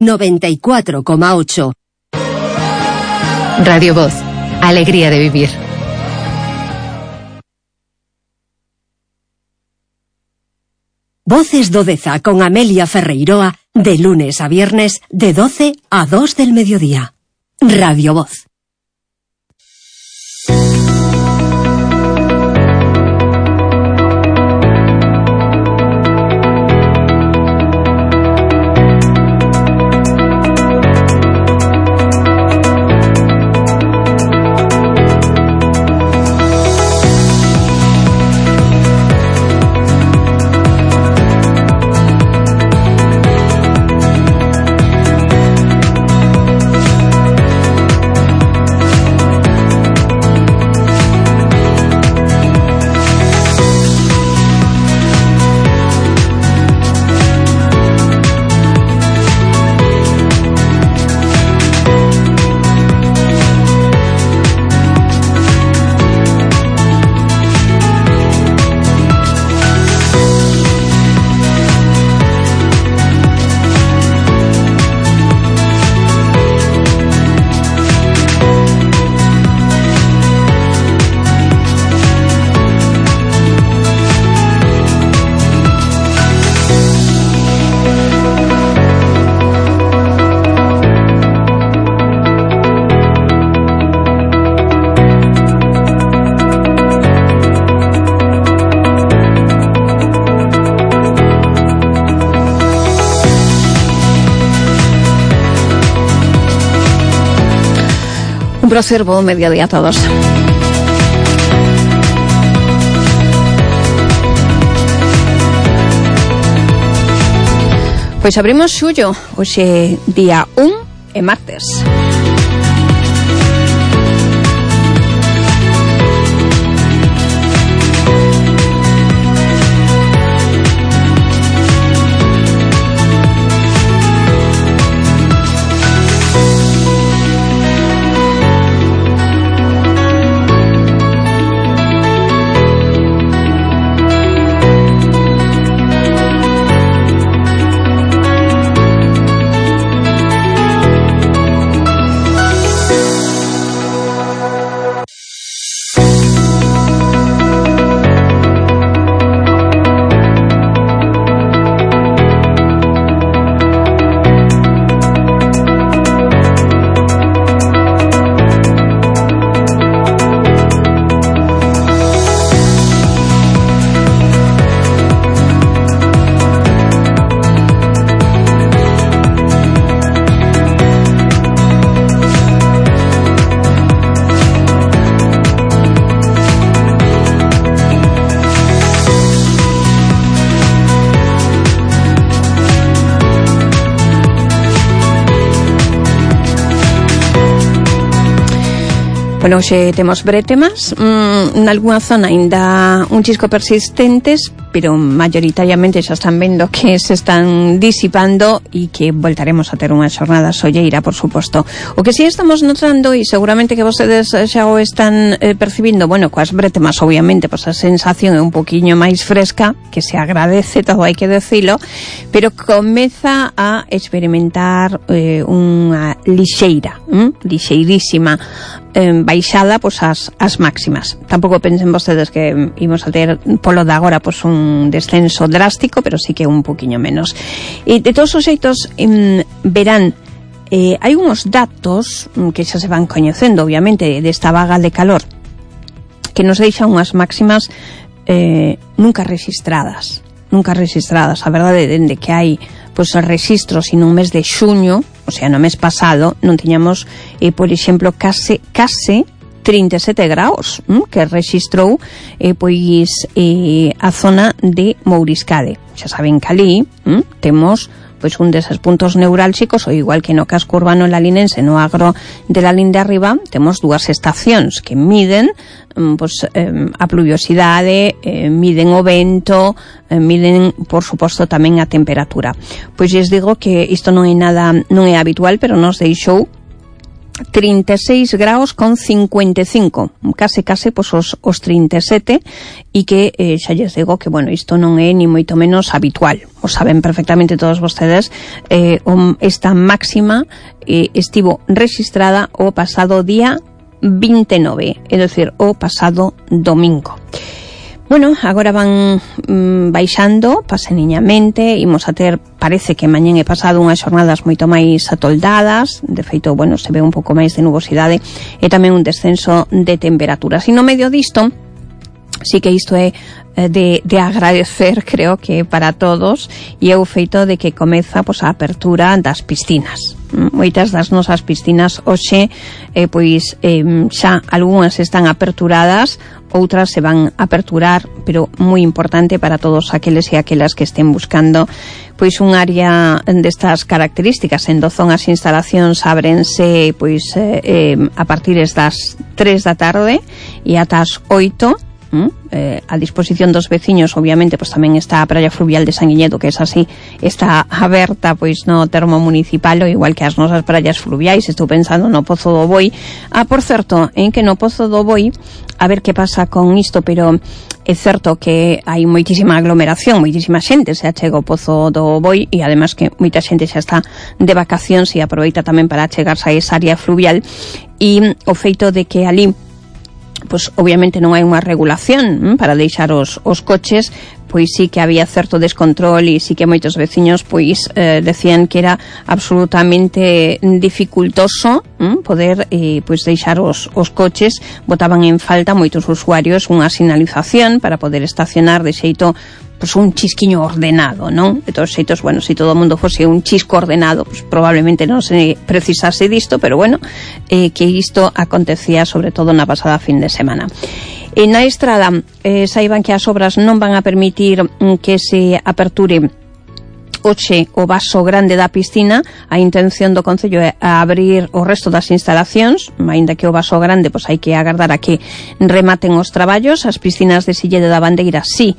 94,8. Radio Voz, alegría de vivir. Voces do Deza con Amelia Ferreiroa, de lunes a viernes, de 12 a 2 del mediodía. Radio Voz. Un placer, buen mediodía a todos. Pois abrimos xullo, hoxe día 1 e martes. Bueno, hoxe temos bretemas, nalgúna zona ainda un chisco persistentes, pero mayoritariamente xa están vendo que se están disipando e que voltaremos a ter unha xornada solleira, por suposto. O que sí estamos notando, e seguramente que vostedes xa o están percibindo, bueno, coas bretemas, obviamente, pois a sensación é un poquinho máis fresca, que se agradece, todo hai que decilo, pero comeza a experimentar unha lixeirísima baixada pois as máximas. Tampouco pensen vostedes que imos a ter polo de agora pois un descenso drástico, pero sí que un poquinho menos. E de todos os xeitos verán, hai unhos datos que xa se van coñecendo, obviamente, desta vaga de calor, que nos deixan unhas máximas nunca rexistradas. A verdade, dende que hai pois os registros en un mes de xuño, o sea, no mes pasado, non tiñamos, por exemplo, case 37 graus que rexistrou pois a zona de Mouriscade. Xa saben que ali temos pois un deses puntos neurálxicos, ou igual que no casco urbano lalinense, no agro de la Linde arriba, temos dúas estacións que miden pois a pluviosidade, miden o vento, miden, por suposto, tamén a temperatura. Pois lles digo que isto non é habitual, pero nos deixou 36 graus con 55, case pois os 37, e que xa lles digo que, bueno, isto non é ni moito menos habitual. O saben perfectamente todos vostedes, esta máxima estivo registrada o pasado día 29, é dicir, o pasado domingo. Bueno, agora van baixando paseniñamente, imos a ter, parece que mañén e pasado, unhas xornadas moito máis atoldadas, de feito, bueno, se ve un pouco máis de nubosidade e tamén un descenso de temperaturas. E no medio disto, sí que isto é de agradecer, creo que para todos, e é o feito de que comeza pois a apertura das piscinas. Moitas das nosas piscinas hoxe xa algunhas están aperturadas, outras se van a aperturar, pero moi importante para todos aqueles e aquelas que estén buscando pois un área destas características. En Dozón as instalacións ábrense a partir das 3 da tarde e ata as 8. A disposición dos veciños, obviamente, pois tamén está a praia fluvial de Sanguiñedo, que é así, está aberta pois no termo municipal, o igual que as nosas praias fluviais. Estou pensando no Pozo do Boi. Por certo, en que no Pozo do Boi, a ver que pasa con isto, pero é certo que hai moitísima aglomeración, moitísima xente se achega ao Pozo do Boi, e además que moita xente xa está de vacacións e aproveita tamén para achegarse a esa área fluvial, e o feito de que ali pois obviamente non hai unha regulación para deixar os coches, pois sí que había certo descontrol, e sí que moitos veciños pois decían que era absolutamente dificultoso poder pois deixar os coches. Botaban en falta moitos usuarios unha sinalización para poder estacionar de xeito pois un chisquiño ordenado, non? De todos xeitos, bueno, se todo o mundo fose un chisco ordenado, pois probablemente non se precisase disto, pero bueno, que isto acontecía sobre todo na pasada fin de semana. E na estrada, saiban que as obras non van a permitir que se aperture hoxe o vaso grande da piscina. A intención do Concello é abrir o resto das instalacións, aínda que o vaso grande pois hai que agardar a que rematen os traballos. As piscinas de Silleda da Bandeira sí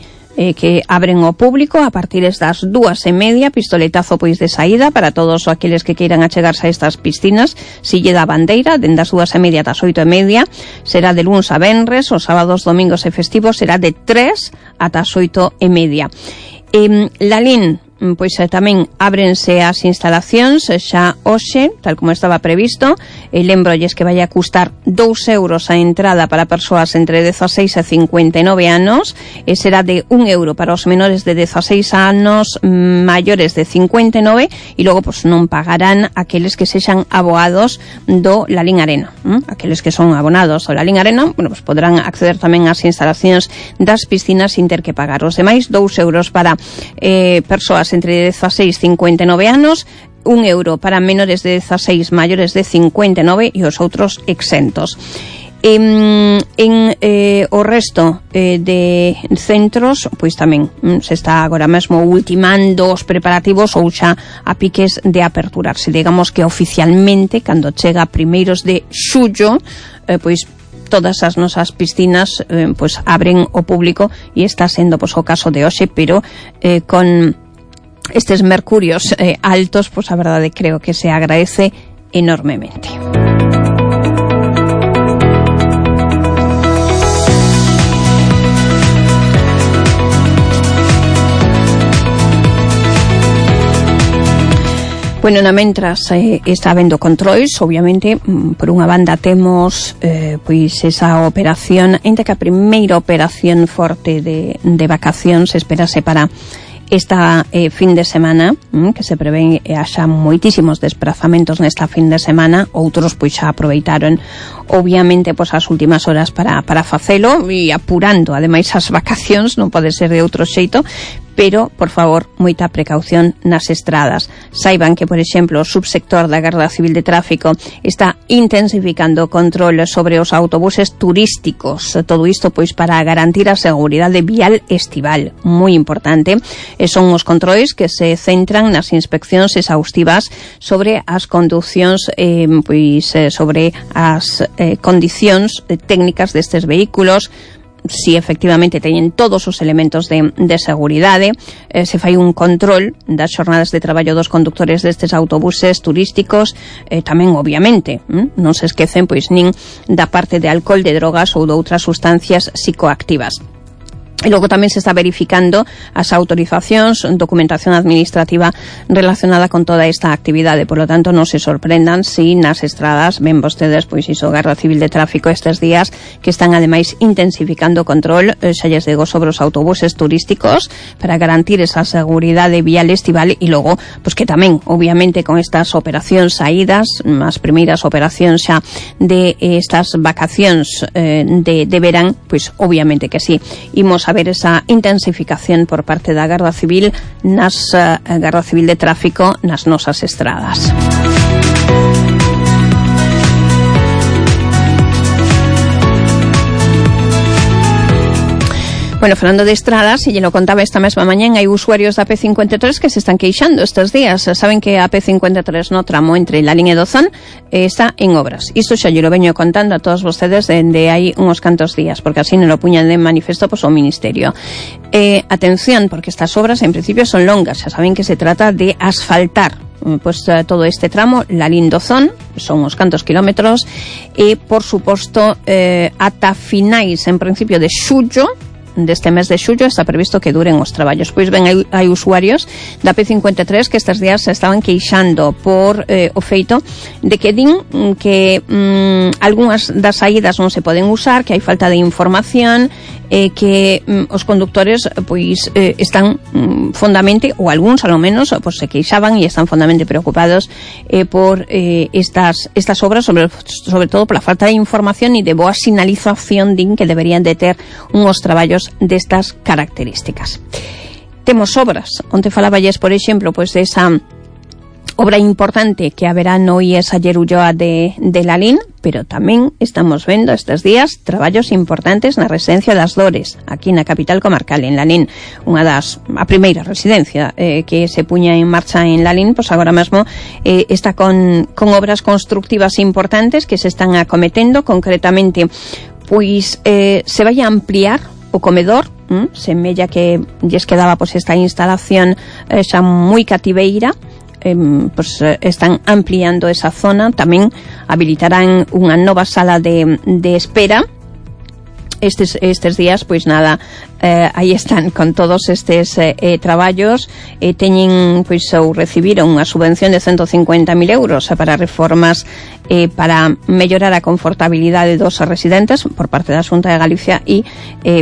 que abren ao público a partir das 2:30, pistoletazo pois de saída para todos aqueles que queiran achegarse a estas piscinas. Silleda da Bandeira, dende as 2:30 ás 8:30, será de luns a venres, os sábados, domingos e festivos será de 3 ata as 8:30. Lalín, pois tamén ábrense as instalacións xa hoxe, tal como estaba previsto. Lembrolles que vai a custar 2 euros a entrada para persoas entre 16 e 59 anos, e será de 1 euro para os menores de 16 anos, maiores de 59, e logo pois non pagarán aqueles que sexan abogados do Lalín Arena. Aqueles que son abonados do Lalín Arena, bueno, pois poderán acceder tamén ás instalacións das piscinas sin ter que pagar. Os demais, 2 euros para persoas entre 16 e 59 anos, 1 euro para menores de 16, maiores de 59 e os outros exentos. O resto de centros, pois tamén se está agora mesmo ultimando os preparativos ou xa a piques de aperturarse. Digamos que oficialmente, cando chega primeiros de xullo, pois todas as nosas piscinas pois abren ao público, e está sendo pois o caso de hoxe, pero con estes mercurios altos, pois a verdade creo que se agradece enormemente. Bueno, na mentras está habendo controis, obviamente, por unha banda temos pois esa operación, ainda que a primeira operación forte de vacacións esperase para esta fin de semana, que se prevé haxa moitísimos desplazamentos nesta fin de semana. Outros pois xa aproveitaron obviamente pois as últimas horas para facelo, e apurando ademais as vacacións, non pode ser de outro xeito. Pero, por favor, moita precaución nas estradas. Saiban que, por exemplo, o subsector da Garda Civil de Tráfico está intensificando o control sobre os autobuses turísticos. Todo isto, pois, para garantir a seguridade vial estival. Moi importante. E son os controis que se centran nas inspeccións exhaustivas sobre as conducións, sobre as condicións técnicas destes vehículos, si efectivamente teñen todos os elementos de seguridade, se fai un control das xornadas de traballo dos conductores destes autobuses turísticos, tamén obviamente non se esquecen pois nin da parte de alcohol, de drogas ou de outras sustancias psicoactivas. E logo tamén se está verificando as autorizacións, documentación administrativa relacionada con toda esta actividade. Por lo tanto, non se sorprendan si nas estradas ven vostedes pois iso, Garda Civil de Tráfico estes días, que están ademais intensificando o control, xa lles digo, sobre os autobuses turísticos para garantir esa seguridade vial estival, e logo, pois que tamén, obviamente, con estas operacións saídas, as primeiras operacións xa de estas vacacións de verán, pois obviamente que sí, imos a ver esa intensificación por parte da Garda Civil Garda Civil de Tráfico nas nosas estradas. Bueno, falando de estradas, e lle lo contaba esta mesma mañán, hai usuarios da P53 que se están queixando estes días. Saben que a P53 no tramo entre Lalín e Dozón está en obras. Isto xa lle lo veño contando a todos vostedes dende hai uns cantos días, porque así non lo puñan de manifesto pois o Ministerio. Atención, porque estas obras en principio son longas. Xa saben que se trata de asfaltar pois todo este tramo Lalín-Dozón, son uns cantos kilómetros, e por suposto ata finais en principio de xullo deste mes de xullo está previsto que duren os traballos. Pois ben, hai usuarios da P53 que estes días se estaban queixando por o feito de que din que algunhas das saídas non se poden usar, que hai falta de información, que os conductores pois están fondamente, ou algúns ao menos, pois se queixaban e están fondamente preocupados por estas obras, sobre todo pola falta de información e de boa sinalización din que deberían de ter unhos traballos destas características. Temos obras, onde falaballes, por exemplo, pois desa obra importante que haberá no IES Aller Ulloa de Lalín, pero tamén estamos vendo estes días traballos importantes na residencia das Dores, aquí na capital comarcal, en Lalín, a primeira residencia que se puña en marcha en Lalín, pois agora mesmo está con obras constructivas importantes que se están acometendo, concretamente pois se vai a ampliar o comedor, semella que lles quedaba pois esta instalación xa moi cativeira. Pues están ampliando esa zona, tamén habilitarán unha nova sala de espera. Estes días, pois nada, aí están con todos estes traballos, teñen, pois, ou recibiron unha subvención de 150.000 euros para reformas para mellorar a confortabilidade dos residentes por parte da Xunta de Galicia, e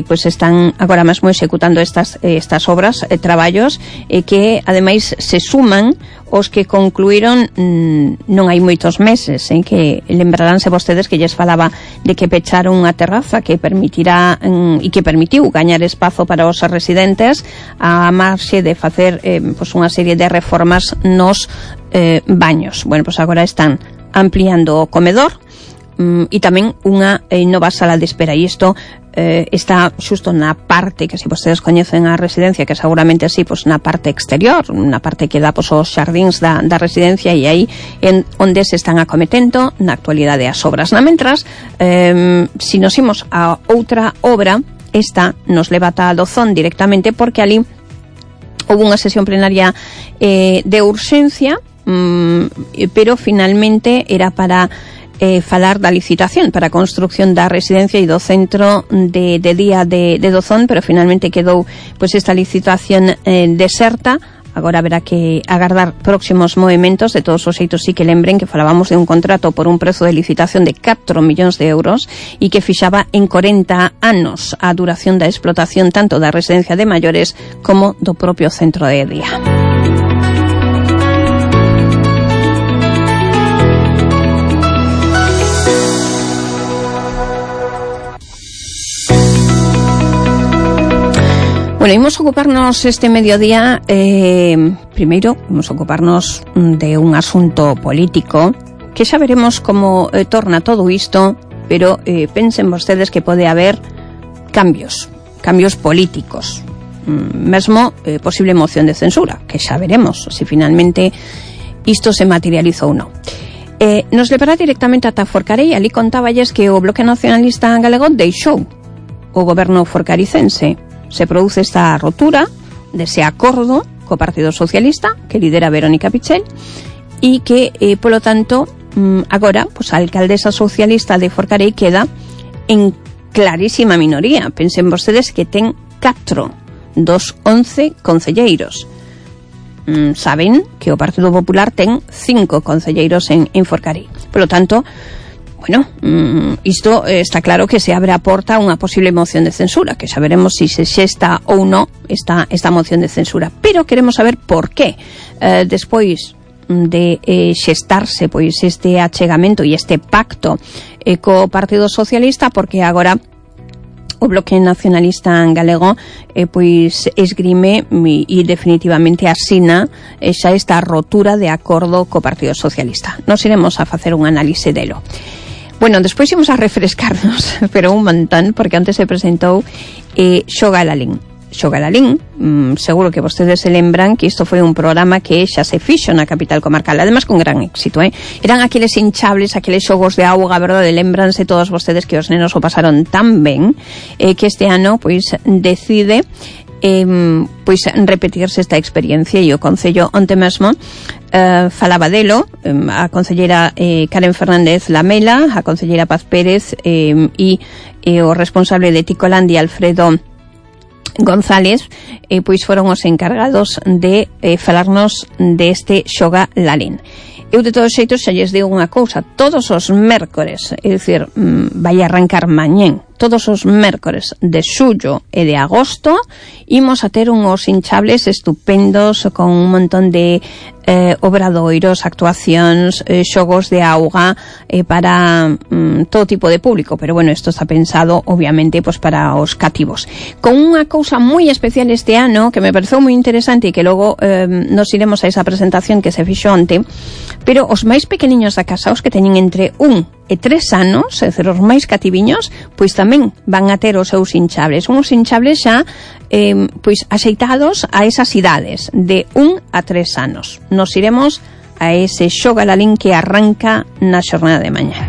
pois están agora mesmo executando estas obras, traballos que ademais se suman os que concluíron non hai moitos meses, que lembraránse vostedes que lles falaba de que pecharon unha terraza que permitirá e que permitiu gañar espazo para os residentes a marxe de facer pois unha serie de reformas nos baños. Bueno, pois agora están ampliando o comedor e tamén unha nova sala de espera, e isto está xusto na parte que, se vostedes coñecen a residencia, que seguramente sí, pois na parte exterior, na parte que dá pois os xardíns da residencia, e aí onde se están acometendo na actualidade as obras. Na mentras, si nos imos a outra obra, esta nos leva ata Dozón directamente, porque ali houve unha sesión plenaria de urxencia, pero finalmente era para falar da licitación para a construcción da residencia e do centro de día de Dozón, pero finalmente quedou pois esta licitación deserta. Agora haberá que agardar próximos movementos. De todos os xeitos, sí que lembren que falábamos de un contrato por un prezo de licitación de 4 millóns de euros e que fixaba en 40 anos a duración da explotación tanto da residencia de maiores como do propio centro de día. Bueno, imos ocuparnos este mediodía, primeiro, imos ocuparnos de un asunto político, que xa veremos como torna todo isto, pero pensen vostedes que pode haber cambios políticos, mesmo posible moción de censura, que xa veremos se finalmente isto se materializa ou non. Nos levará directamente ata Forcarei. Ali contáballes que o Bloque Nacionalista Galego deixou o goberno forcaricense. Se produce esta rotura dese acordo co Partido Socialista que lidera Verónica Pichel e que, polo tanto, agora, pues, a alcaldesa socialista de Forcarei queda en clarísima minoría. Pensen vostedes que ten 4 dos 11 concelleiros. Saben que o Partido Popular ten 5 concelleiros en Forcarei. Polo tanto, bueno, isto está claro que se abre a porta a unha posible moción de censura, que xa veremos se xesta ou non esta moción de censura. Pero queremos saber por qué, despois de xestarse pois este achegamento e este pacto co Partido Socialista, porque agora o Bloque Nacionalista Galego pois esgrime e definitivamente asina xa esta rotura de acordo co Partido Socialista. Nos iremos a facer un análise delo. Bueno, despois imos a refrescarnos, pero un montón, porque antes se presentou Xoga Lalín. Xoga Lalín, seguro que vostedes se lembran que isto foi un programa que xa se fixo na capital comarcal, además con gran éxito, Eran aqueles hinchables, aqueles xogos de auga, verdade? Lembranse todos vostedes que os nenos o pasaron tan ben que este ano pois decide pois repetirse esta experiencia, e o Concello onte mesmo falaba delo, a concelleira Karen Fernández Lamela, a concelleira Paz Pérez e o responsable de Ticolandia, Alfredo González, pois foron os encargados de falarnos deste Xoga Lalín. Eu de todos xeitos xa lles digo unha cousa: todos os mércores, é dicir, vai arrancar mañén, todos os mércores de xullo e de agosto imos a ter unhos hinchables estupendos con un montón de obradoiros, actuacións, xogos de auga para todo tipo de público, pero bueno, isto está pensado obviamente pues para os cativos, con unha cousa moi especial este ano que me pareceu moi interesante e que logo nos iremos a esa presentación que se fixo onte. Pero os máis pequeniños da casa, os que teñen entre 1 e 3 anos, é dicir, os máis cativiños, pois tamén van a ter os seus hinchables. Uns hinchables xa pois axeitados a esas idades, de 1 a 3 anos. Nos iremos a ese Xoga Lalín que arranca na xornada de mañá.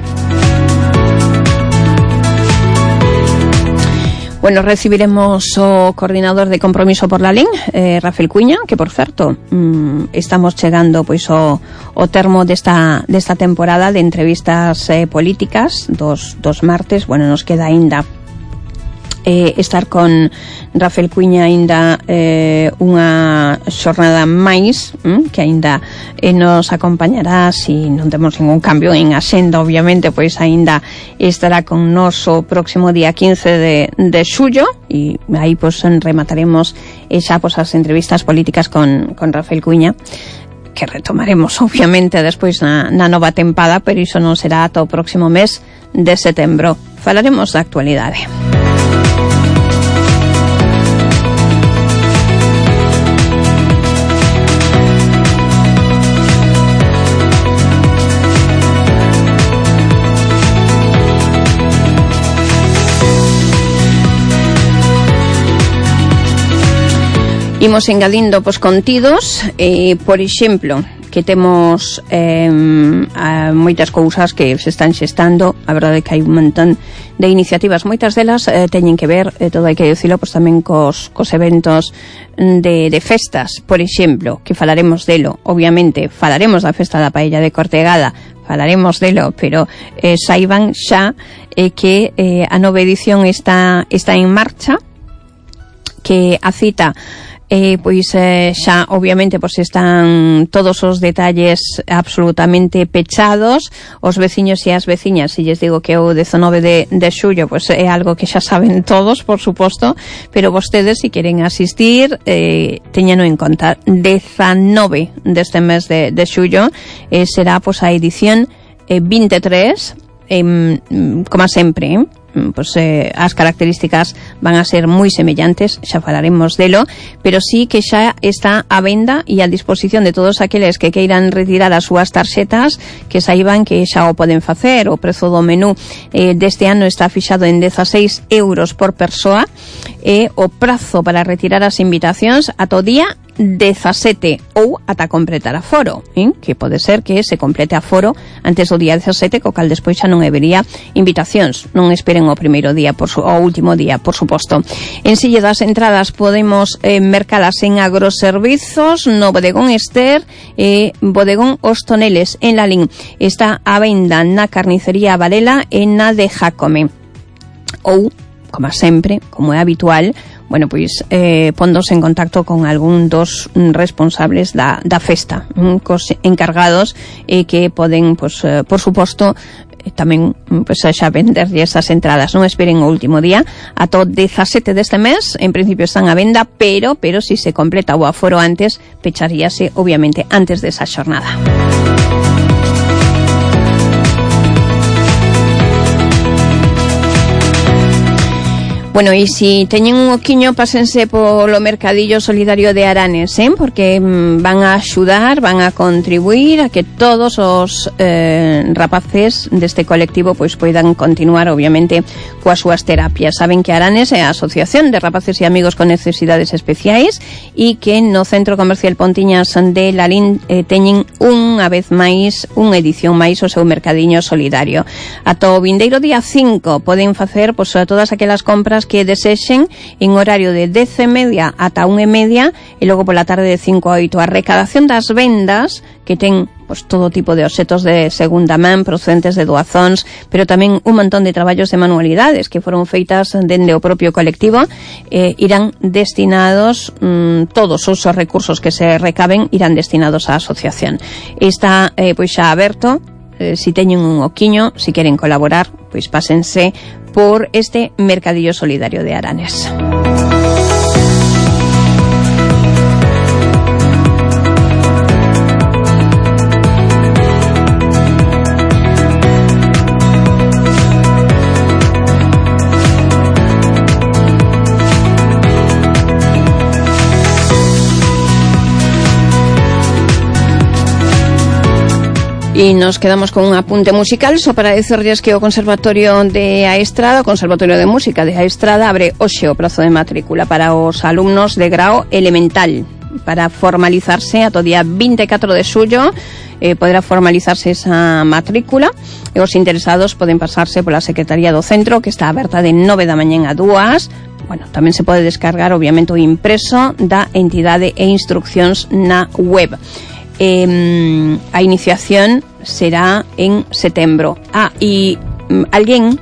Bueno, recibiremos o coordinador de Compromiso por Lalín, Rafael Cuña, que por certo estamos chegando pois o termo desta temporada de entrevistas políticas dos martes. Bueno, nos queda aínda estar con Rafael Cuña aínda unha xornada máis que aínda nos acompañará, se non temos ningún cambio en axenda, obviamente, pois aínda estará con nos o próximo día 15 de xullo, e aí pois remataremos xa pois as entrevistas políticas con Rafael Cuña, que retomaremos obviamente despois na nova tempada, pero iso non será ata o próximo mes de setembro. Falaremos da actualidade. Imos engadindo pos contidos, por exemplo, que temos moitas cousas que se están xestando. A verdade é que hai un montón de iniciativas, moitas delas teñen que ver, todo hai que dicilo, pois tamén cos eventos de festas, por exemplo, que falaremos delo. Obviamente falaremos da festa da paella de Cortegada, falaremos delo, pero saiban xa que a nova edición está en marcha, que a cita pois xa obviamente pois están todos os detalles absolutamente pechados. Os veciños e as veciñas, se lles digo que o 19 de xullo pois é algo que xa saben todos, por suposto, pero vostedes, se queren asistir, teñano en conta. 19 deste mes de xullo será pois a edición 23, como sempre, pois as características van a ser moi semellantes, xa falaremos delo, pero sí que xa está a venda e a disposición de todos aqueles que queiran retirar as súas tarxetas, que saiban que xa o poden facer. O prezo do menú deste ano está fixado en 16 euros por persoa, e o prazo para retirar as invitacións ata o día 17 ou ata completar aforo, que pode ser que se complete aforo antes do día 17, co cal despois xa non habería invitacións. Non esperen o primeiro día, o último día, por suposto. En sille das entradas podemos mercalas en Agroservizos, no Bodegón Ester e Bodegón Os Toneles en Lalín. Está a venda na Carnicería Varela e na de Jácome. Ou, como sempre, como é habitual, bueno, pois pondos en contacto con algún dos responsables da festa, cos encargados que poden, pois, por suposto, tamén pois, xa venderlle esas entradas. Non esperen o último día, ata o 17 deste mes, en principio están a venda, pero si se completa o aforo antes, pecharíase, obviamente, antes desa xornada. Bueno, e si teñen un oquiño, pásense polo Mercadillo Solidario de Aranes, porque van a axudar, van a contribuir a que todos os rapaces deste colectivo pois poidan continuar, obviamente, coas súas terapias. Saben que Aranes é a Asociación de Rapaces e Amigos con Necesidades Especiais e que no Centro Comercial Pontiñas de Lalín teñen unha vez máis, unha edición máis o seu Mercadiño Solidario. Ata o vindeiro día 5 poden facer pois, todas aquelas compras que desexen en horario de 10:30 ata 1:30 e logo pola tarde de 5 a 8. A recadación das vendas que ten pois, todo tipo de obxetos de segunda man procedentes de doazóns, pero tamén un montón de traballos de manualidades que foron feitas dende o propio colectivo, irán destinados, todos os recursos que se recaben irán destinados á asociación. Está pois xa aberto. Si teñen un oquiño, si queren colaborar, pois pásense por este Mercadillo Solidario de Aranes. E nos quedamos con un apunte musical, só para dicirles que o Conservatorio de Aestrada, o Conservatorio de Música de Aestrada, abre hoxe o prazo de matrícula para os alumnos de grao elemental, para formalizarse ata o día 24 de xullo, poderá formalizarse esa matrícula, e os interesados poden pasarse pola Secretaría do Centro, que está aberta de 9 da mañá a 2. Bueno, tamén se pode descargar, obviamente, o impreso da entidade e instruccións na web. A iniciación será en setembro. E alguén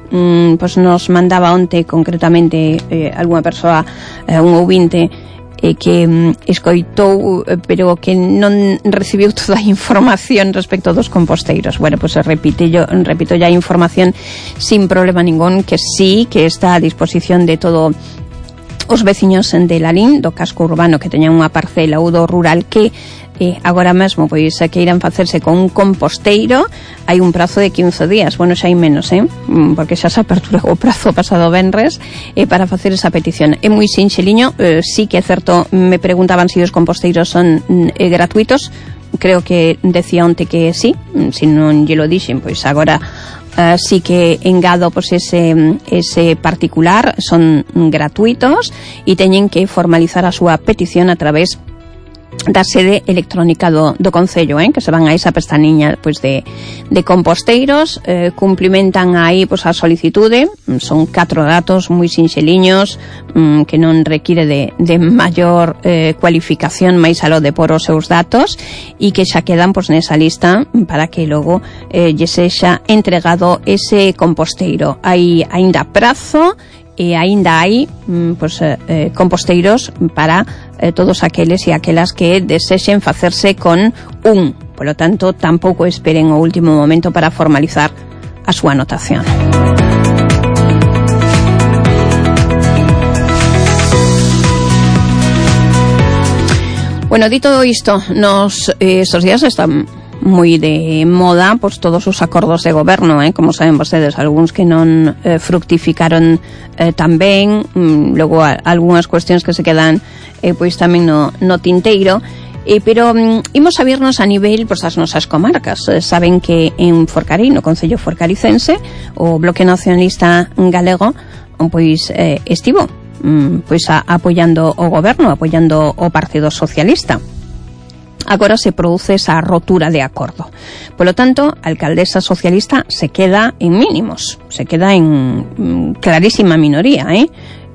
pois nos mandaba onte concretamente algunha persoa, un ouvinte que escoitou pero que non recibiu toda a información respecto dos composteiros. Bueno, pois repito ya a información sin problema ningún, que sí, que está a disposición de todo os veciños de Lalín, do casco urbano, que teñan unha parcela ou do rural que agora mesmo pois queiran facerse con un composteiro. Hai un prazo de 15 días, bueno, xa hai menos, porque xa se apertura o prazo pasado venres para facer esa petición. É moi sinxeliño, sí que é certo, me preguntaban se os composteiros son gratuitos. Creo que decía onte que sí, se non lle lo dixen, pois agora sí que engado pois ese particular, son gratuitos e teñen que formalizar a súa petición a través da sede electrónica do Concello, que se van a esa pestañiña pois de composteiros, cumplimentan aí pois a solicitude, son 4 datos moi sinxeliños, que non require de maior cualificación máis aló de por os seus datos, e que xa quedan pois nesa lista para que logo lle sexa entregado ese composteiro. Hai aínda prazo e aínda hai composteiros para todos aqueles e aquelas que desexen facerse con un. Polo tanto, tampouco esperen o último momento para formalizar a súa anotación. Bueno, dito isto, estos días están moi de moda pois todos os acordos de goberno, como saben vostedes, algúns que non fructificaron tan ben, logo algunhas cuestións que se quedan pois tamén no tinteiro, pero imos a vernos a nivel pois as nosas comarcas. Saben que en Forcarei, no Concello Forcaricense, o Bloque Nacionalista Galego pois estivo pois apoiando o goberno, apoiando o Partido Socialista. Agora se produce esa rotura de acordo. Por lo tanto, a alcaldesa socialista se queda en mínimos, se queda en clarísima minoría,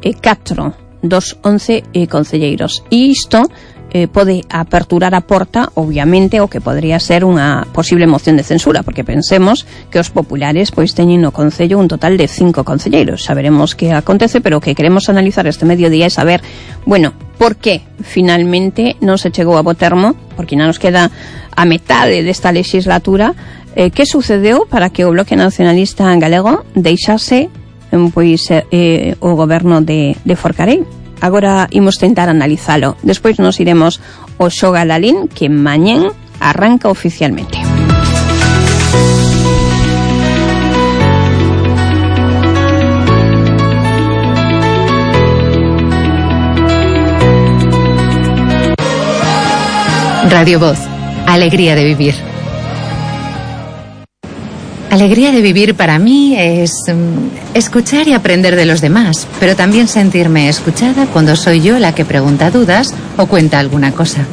4 dos 11 concelleiros. E isto pode aperturar a porta, obviamente, o que podría ser unha posible moción de censura, porque pensemos que os populares pois teñen no concello un total de 5 concelleiros. Saberemos que acontece, pero o que queremos analizar este mediodía é saber, bueno, por que finalmente non se chegou a bo termo, porque non nos queda a metade desta legislatura. Que sucedeu para que o Bloque Nacionalista Galego deixase pois o goberno de Forcarei? Agora imos tentar analizalo. Despois nos iremos ao Xoga Lalín, que mañén arranca oficialmente. Radio Voz, alegría de vivir. Alegría de vivir para mí es escuchar y aprender de los demás, pero también sentirme escuchada cuando soy yo la que pregunta dudas o cuenta alguna cosa.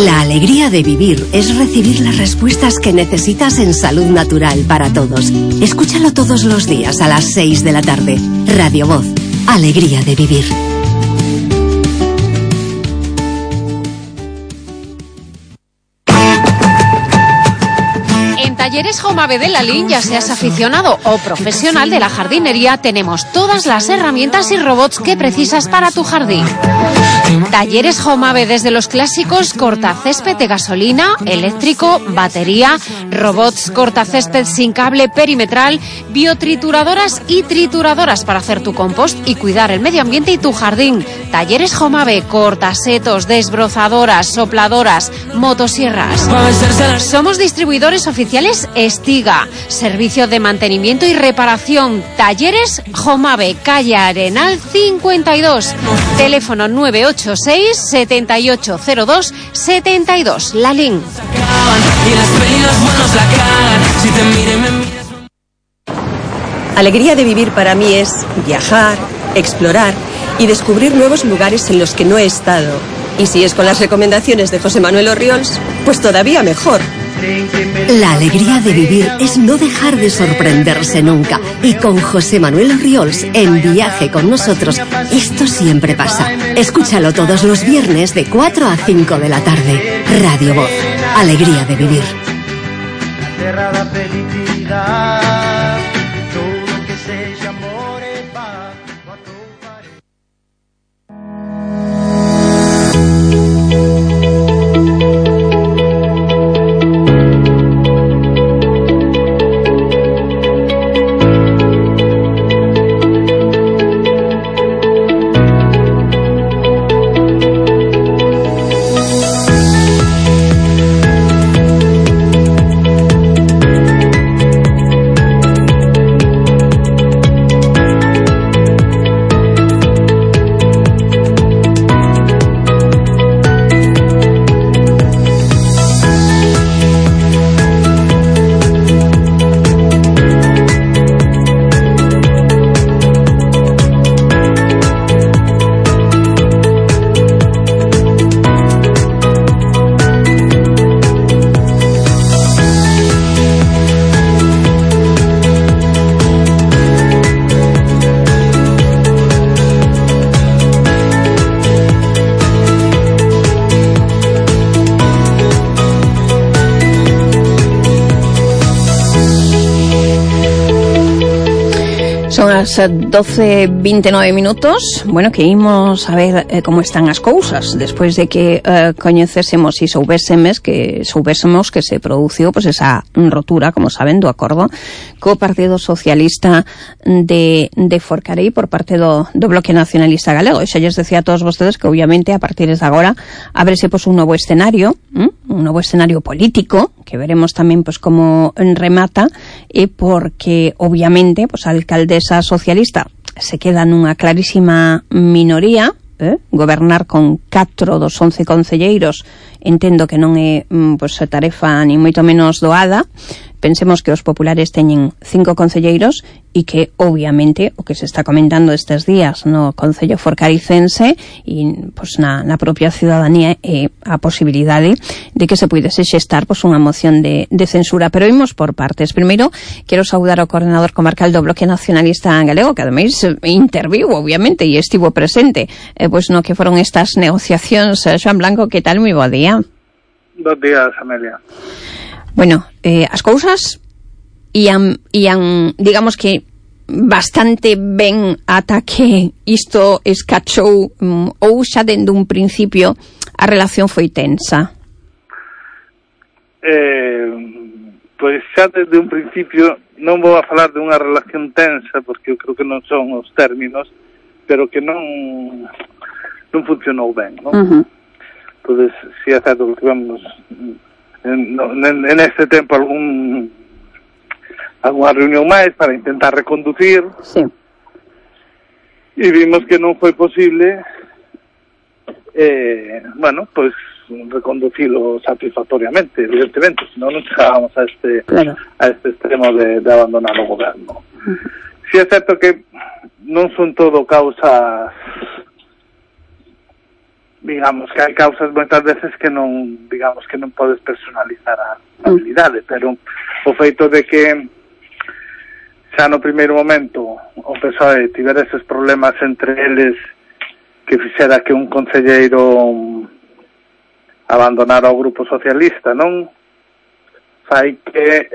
La alegría de vivir es recibir las respuestas que necesitas en Salud Natural para Todos. Escúchalo todos los días a las 6 de la tarde. Radio Voz, alegría de vivir. Talleres Jomave de Lalín, ya seas aficionado o profesional de la jardinería, tenemos todas las herramientas y robots que precisas para tu jardín. Talleres Jomave, desde los clásicos cortacésped de gasolina, eléctrico, batería, robots cortacésped sin cable perimetral, biotrituradoras y trituradoras para hacer tu compost y cuidar el medio ambiente y tu jardín. Talleres Jomave, cortasetos, desbrozadoras, sopladoras, motosierras. Somos distribuidores oficiales Estiga, servicio de mantenimiento y reparación. Talleres Jomave, calle Arenal 52, teléfono 986 7802 72, Lalín. Alegría de vivir para mí es viajar, explorar y descubrir nuevos lugares en los que no he estado. Y si es con las recomendaciones de José Manuel Orriols, pues todavía mejor. La alegría de vivir es no dejar de sorprenderse nunca. Y con José Manuel Orriols en Viaje con Nosotros, esto siempre pasa. Escúchalo todos los viernes de 4 a 5 de la tarde. Radio Voz, alegría de vivir. Son as 12:29 minutos. Bueno, que imos a ver como están as cousas despois de que coñecésemos e soubésemos que se produciu pois esa rotura, como saben, do acordo co Partido Socialista de Forcarei por parte do Bloque Nacionalista Galego. E xa lles decía a todos vostedes que obviamente a partir de agora ábrese pois un novo escenario político, que veremos tamén pois como remata, e porque obviamente pois a alcaldesa socialista se queda nunha clarísima minoría. Gobernar con 4 dos 11 concelleiros entendo que non é pois tarefa ni moito menos doada, Pensemos que os populares teñen 5 concelleiros e que, obviamente, o que se está comentando estes días no Concello Forcaricense e pois, na propia ciudadanía é a posibilidade de que se puidese xestar pois, unha moción de censura. Pero imos por partes. Primeiro, quero saudar ao coordinador comarcal do Bloque Nacionalista Galego, que ademais interviu, obviamente, e estivo presente pois no que foron estas negociacións. Xoan Blanco, que tal? Moi bo día. Bos días, Amelia. Bueno, as cousas ian, digamos que bastante ben ata que isto escachou, ou xa dende un principio a relación foi tensa? Pois xa desde un principio non vou a falar de unha relación tensa, porque eu creo que non son os términos, pero que non funcionou ben, non? Pois si é certo que tivemos en este tempo algunha reunión máis para intentar reconducir, sí. E vimos que non foi posible pois reconducilo satisfactoriamente, evidentemente, senón non chegábamos a este extremo de abandonar o goberno. Si é certo que non son todo causas, digamos que hai causas moitas veces que non podes personalizar a habilidade, pero o feito de que xa no primeiro momento o PSOE tivera eses problemas entre eles que fixera que un concelleiro abandonara o grupo socialista, non? Fai que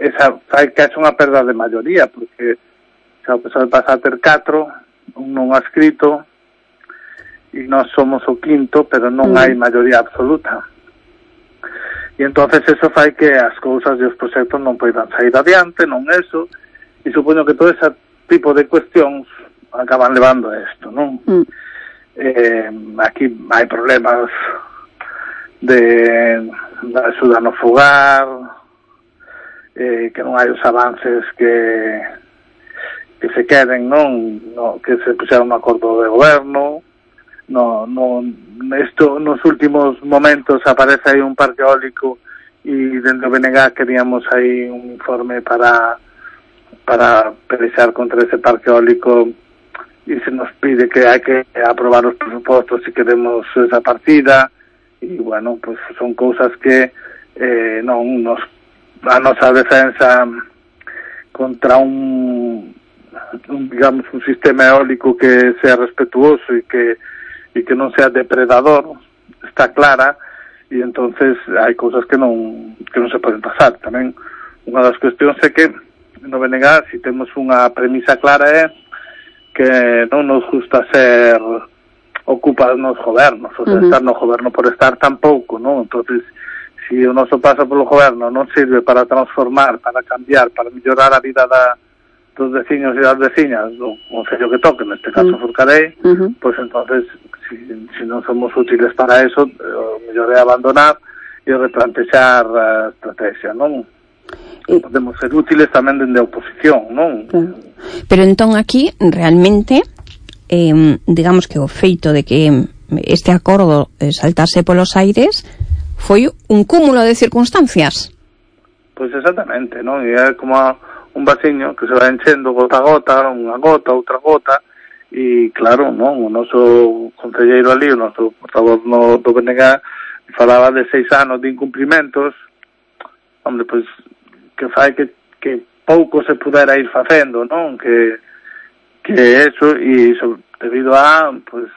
haxe unha perda de maioría, porque xa o PSOE pasa a ter 4, un non adscrito, e nós somos o 5º, pero non hai maioría absoluta. E entonces eso fai que as cousas e os proxectos non poidan sair adiante, non eso, e supoño que todo ese tipo de cuestións acaban levando a isto, non? Aquí hai problemas de axuda no fogar, que non hai os avances que se queren, non? Que se puxeron no acordo de goberno. Isto nos últimos momentos aparece aí un parque eólico e dentro do BNG queríamos aí un informe para pelexar contra ese parque eólico e se nos pide que hai que aprobar os presupostos se queremos esa partida e bueno, pues son cousas que a nosa defensa contra un sistema eólico que sea respetuoso e que non sea depredador está clara, e entonces hai cousas que non se poden pasar. Tamén unha das cuestións é que no BNG, si temos unha premisa clara, é que non nos gusta ser ocupados nos gobernos, o sea, estar no goberno por estar tampouco, non? Entonces, si o noso paso polo goberno non sirve para transformar, para cambiar, para mellorar a vida dos veciños e das veciñas do concello que toque, neste caso Forcarei, pois entonces, si non somos útiles para eso, o mellor é abandonar e replantexar a estrategia, non? Podemos ser útiles tamén dende a oposición, non? Claro. Pero entón aquí, realmente, digamos que o feito de que este acordo saltase polos aires foi un cúmulo de circunstancias. Pois exactamente, non? E é como un vasiño que se va enchendo gota a gota, unha gota, outra gota, e claro, non, o noso concelleiro ali, o noso portavoz do BNG, falaba de 6 anos de incumplimentos. Hombre, pois, que fai que pouco se pudera ir facendo, non? Que eso, e debido a, pois,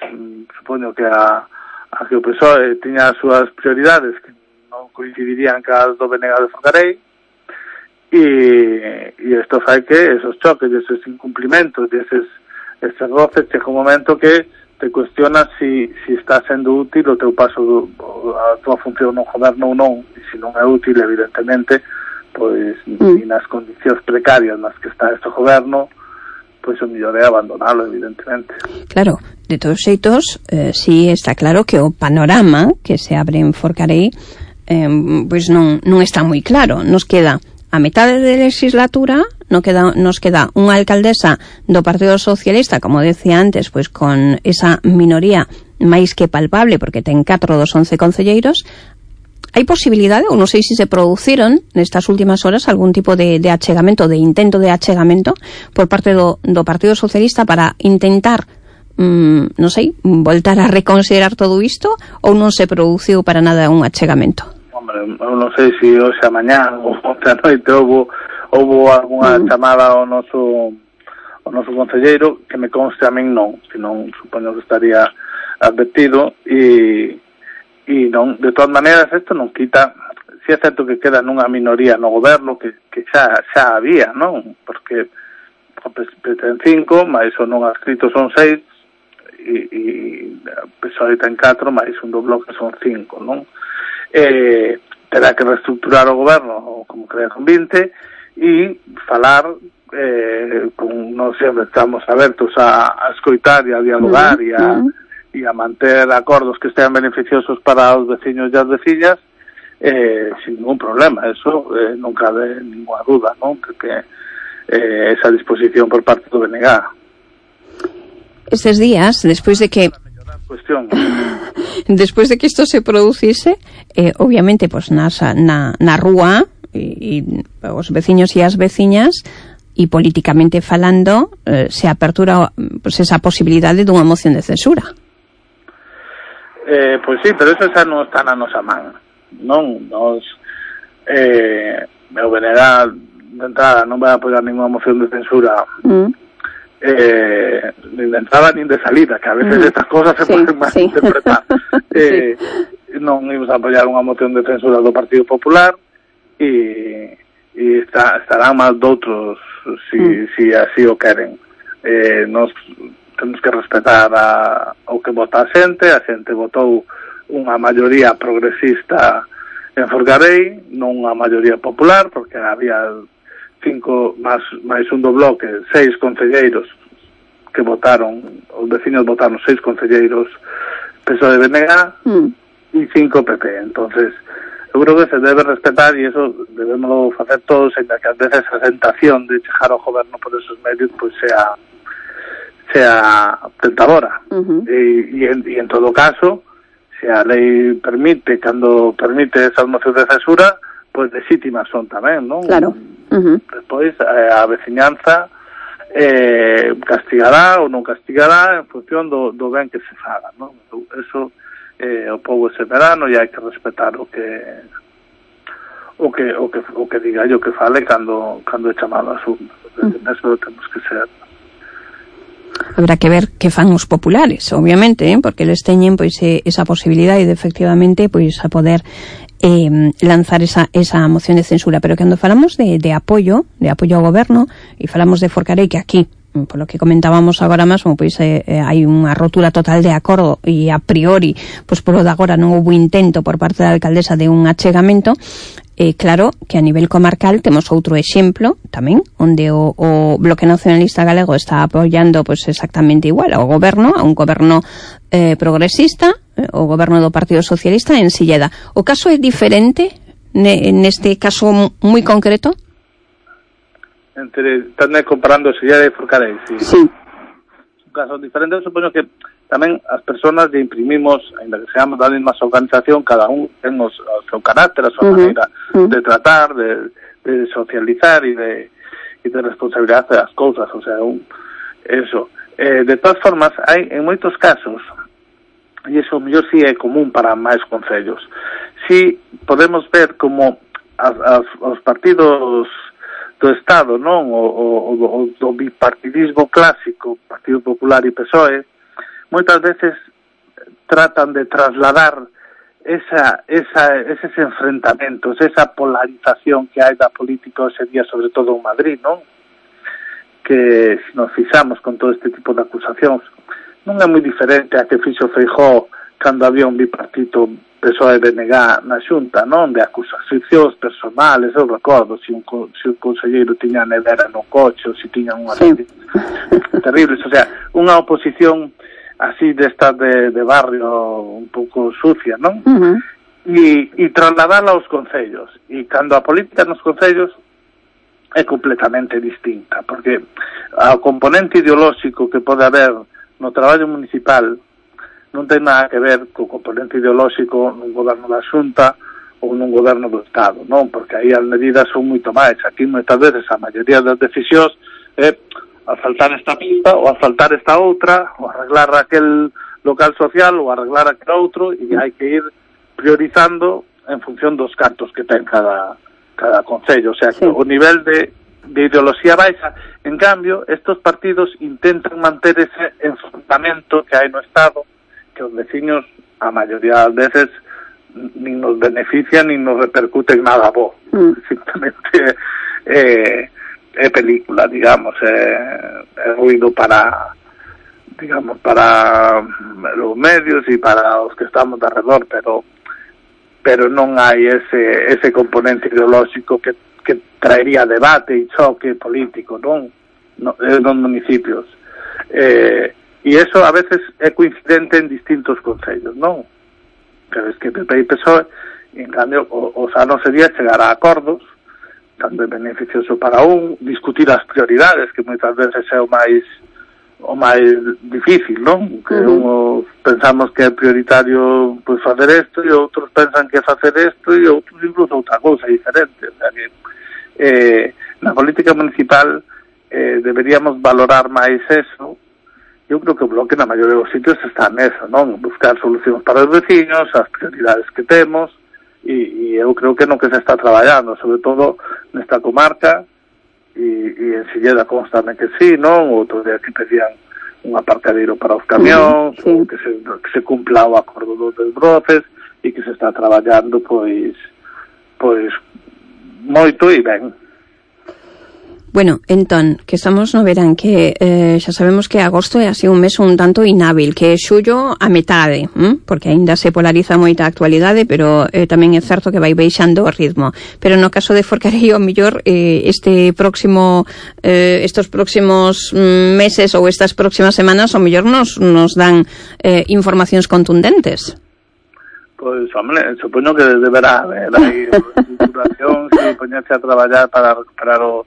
supoño que a que o PSOE tiña as súas prioridades que non coincidirían cas do BNG de Forcarei, e isto fai que esos choques, esos incumplimentos, estes roces, chega un momento que te cuestionas si está sendo útil o teu paso a tua función no goberno ou non, e se non é útil, evidentemente, pois nas condicións precarias nas que está este goberno, pois o mellor é abandonalo, evidentemente. Claro, de todos xeitos, si está claro que o panorama que se abre en Forcarei pois non está moi claro. Nos queda a metade de legislatura, nos queda unha alcaldesa do Partido Socialista, como decía antes, pois con esa minoría máis que palpable, porque ten 4 dos 11 concelleiros. hai posibilidade, ou non sei se produciron nestas últimas horas algún tipo de achegamento, de intento de achegamento por parte do Partido Socialista para intentar non sei, voltar a reconsiderar todo isto, ou non se produciu para nada un achegamento? Hombre, eu non sei se hoxe a mañá ou onte a noite houve algunha chamada ao noso concelleiro, que me conste a min non, senón supoño que estaría advertido, e non, de todas maneiras isto non quita, si é certo que queda nunha minoría no goberno que xa había, non? Porque ten 5, máis o non adscrito son 6, e PSOE ten 4, máis un do bloque son 5, non? Terá que reestructurar o goberno como crea con 20 e falar nós sempre estamos abertos a escoitar e a dialogar e a manter acordos que estean beneficiosos para os veciños e as veciñas sin ningún problema, eso non cabe ninguna duda, non? Que esa disposición por parte do BNG. Estes días, despois de que isto se producise, obviamente, pues, na rúa e os veciños e as veciñas, e políticamente falando, se apertura pues, esa posibilidade dunha moción de censura. Pois sí, pero eso xa non está na nosa man, non? Nos o BNG de entrada non vai apoiar ninguna moción de censura nin de entrada nin de salida, que a veces estas cosas se poden mal interpretar. Non imos a apoiar unha moción de censura do Partido Popular e estarán máis doutros si así o queren. Nos temos que respetar o que vota a xente votou unha maioría progresista en Forcarei, non unha maioría popular, porque había 5 máis un do bloque, 6 concelleiros que votaron, os vecinos votaron 6 concelleiros PSOE de BNG e 5 PP. Entonces, eu creo que se debe respetar e eso debemos facer todos, ainda que a veces a tentación de chegar ao goberno por esos medios pues sea tentadora. E en todo caso, se a lei permite, cando permite esas mocións de censura, pues legítimas son tamén, non? Claro. Despois a veciñanza castigará ou non castigará en función do ben que se faga, non? Eso o povo ese verano e hai que respetar o que diga o que fale cando é chamado a urnas. Eso temos que ser. Habrá que ver que fan os populares, obviamente, porque eles teñen pois esa posibilidade de efectivamente pois a poder lanzar esa moción de censura, pero cando falamos de apoio ao goberno e falamos de Forcarei, que aquí, por lo que comentábamos agora mesmo, pois hai unha rotura total de acordo e a priori, pois polo de agora non houve intento por parte da alcaldesa de un achegamento. Claro que a nivel comarcal temos outro exemplo tamén, onde o Bloque Nacionalista Galego está apoiando pois exactamente igual ao goberno, a un goberno progresista, o goberno do Partido Socialista en Silleda. O caso é diferente neste caso moi concreto? Están comparando Silleda e Forcarei, sí. Un caso diferente, supoño que tamén as persoas lle imprimimos, ainda que seamos da mesma organización, cada un ten o seu carácter, a súa maneira de tratar, de socializar e de responsabilidade das cousas, o sea, eso. De todas formas, hai en moitos casos, e iso mellor si é común para máis concellos, si podemos ver como os partidos do Estado, non, o do bipartidismo clásico, Partido Popular e PSOE, moitas veces tratan de trasladar eses enfrentamentos, esa polarización que hai da política hoxe día, sobre todo en Madrid, non? Que se nos fixamos con todo este tipo de acusacións, non é moi diferente a que fixo Feijóo cando había un bipartito PSOE-BNG na Xunta, non? De acusacións personales, eu recordo, se un conselleiro tiña a nevera no coche, ou se tiñan unha terribles, o sea, unha oposición así destas de barrio un pouco sucia, non? E trasladala aos concellos. E cando a política nos concellos é completamente distinta, porque o componente ideolóxico que pode haber no traballo municipal non ten nada que ver co componente ideolóxico nun goberno da Xunta ou nun goberno do Estado, non? Porque aí as medidas son moito máis. Aquí moitas veces a maioría das decisións é asfaltar esta pista ou asfaltar esta outra, ou arreglar aquel local social ou arreglar aquel outro, e hai que ir priorizando en función dos cartos que ten cada concello. O sea, que o nivel de ideoloxía baixa. En cambio, estos partidos intentan manter ese enfrentamento que hai no Estado, que os veciños, a maioría das veces, nin nos benefician, nin nos repercuten nada bo. Simplemente é película, digamos, é ruido para, digamos, para os medios e para os que estamos de alrededor, pero non hai ese componente ideolóxico que traería debate e choque político, non? Nos municipios. E eso a veces é coincidente en distintos concellos, non? Pero es que PP e PSOE, en cambio, o sano sería chegar a acordos, tanto é beneficioso para discutir as prioridades, que moitas veces é o máis difícil, non? Que uns pensamos que é prioritario pois facer isto, e outros pensan que é facer isto, e outros incluso outra cousa diferente. O sea que na política municipal deberíamos valorar máis eso. Eu creo que o Bloque na maioría dos sitios está neso, non? Buscar solucións para os veciños, as prioridades que temos, e eu creo que no que se está traballando, sobre todo nesta comarca, e en Silleda constame que sí, non? Outro día que pedían un aparcadeiro para os camións, que se cumpla o acordo dos desbroces, e que se está traballando pois moito e ben. Bueno, entón, que estamos no verán, que xa sabemos que agosto é así un mes un tanto inhábil, que é xullo a metade, porque aínda se polariza moita actualidade, pero tamén é certo que vai baixando o ritmo. Pero no caso de Forcarei, o mellor estes próximos meses ou estas próximas semanas, o mellor nos dan informacións contundentes. Pois, hombre, supoño que deberá haber aí situación, se poñerse a traballar para recuperar o